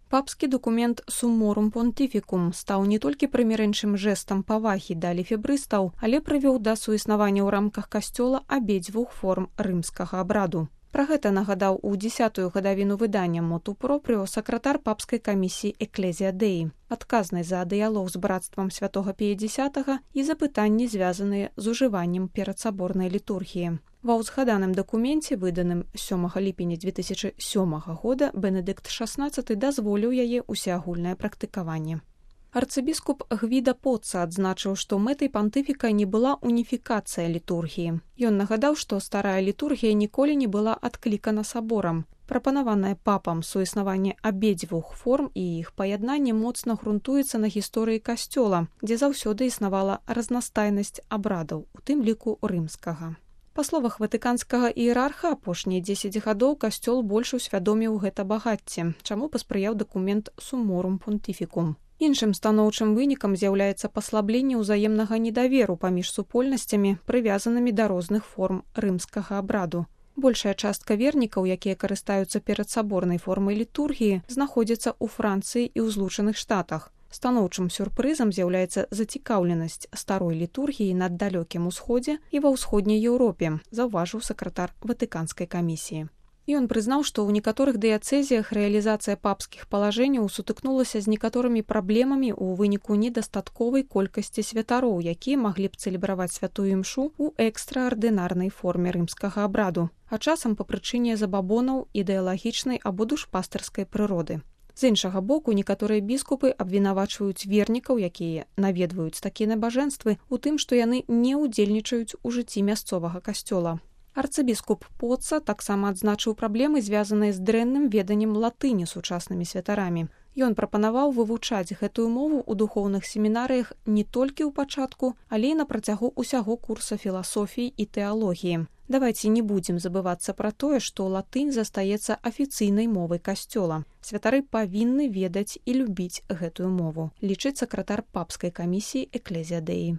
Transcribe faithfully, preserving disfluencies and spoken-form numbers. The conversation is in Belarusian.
Папскі дакумент «Summorum Pontificum» стаў не толькі прымірэнчым жэстам павагі да лефебрыстаў, але прывёў да суіснавання ў рамках касцёла абедзвюх форм рымскага абраду. Пра гэта нагадаў у дзесятую гадавіну выдання «Motu Proprio» сакратар папскай камісіі «Ecclesia Dei», адказнай за дыялог з брацтвам святога Пія Дзесятага і запытанні, звязаныя з ужываннем перадсаборнай літургіі. Ва ўзгаданым дакуменце, выданым сёмага ліпеня дзве тысячы сёмага года, Бенедыкт шаснаццаты дазволіў яе ўсеагульнае практыкаванне. Арцыбіскуп Гвіда Поцца адзначыў, што мэтай пантыфіка не была уніфікацыя літургіі. Ён нагадаў, што старая літургія ніколі не была адклікана саборам. Прапанаванае папам суіснаванне абедзвюх форм і іх паяднанне моцна грунтуецца на гісторыі касцёла, дзе заўсёды існавала разнастайнасць абрадаў, у тым ліку рымскага. Па словах ватыканскага іерарха, апошнія дзесяць гадоў касцёл больш усвядоміў гэта багацце, чаму паспрыяў дакумент «Summorum Pontificum». Іншым станоўчым вынікам з'яўляецца паслабленне ўзаемнага недаверу паміж супольнасцямі, прывязанымі да розных форм рымскага абраду. Большая частка вернікаў, якія карыстаюцца перадсаборнай формай літургіі, знаходзяцца ў Францыі і ў Злучаных Штатах. Станоўчым сюрпрызам з'яўляецца зацікаўленасць старой літургіі на далёкім усходзе і ва ўсходняй Еўропе, заўважыў сакратар Ватыканскай камісіі. Ён прызнаў, што ў некаторых дыяцэзіях рэалізацыя папскіх палажэнняў сутыкнулася з некаторымі праблемамі ў выніку недастатковай колькасці святароў, якія маглі б цэлебраваць святую імшу ў экстраардынарнай форме рымскага абраду, а часам па прычыне забабонаў ідэалагічнай або душпастарскай прыроды. З іншага боку, некаторыя біскупы абвінавачваюць вернікаў, якія наведваюць такія набажэнствы, у тым, што яны не ўдзельнічаюць у жыцці мясцовага касцёла. Арцыбіскуп Поцца таксама адзначыў праблемы, звязаныя з дрэнным веданнем латыні сучаснымі святарамі. Ён прапанаваў вывучаць гэтую мову ў духоўных семінарыях не толькі ў пачатку, але і на працягу ўсяго курса філасофіі і тэалогіі. Давайце не будзем забывацца пра тое, што латынь застаецца афіцыйнай мовай касцёла. Святары павінны ведаць і любіць гэтую мову, лічыць сакратар папскай камісіі «Ecclesia Dei».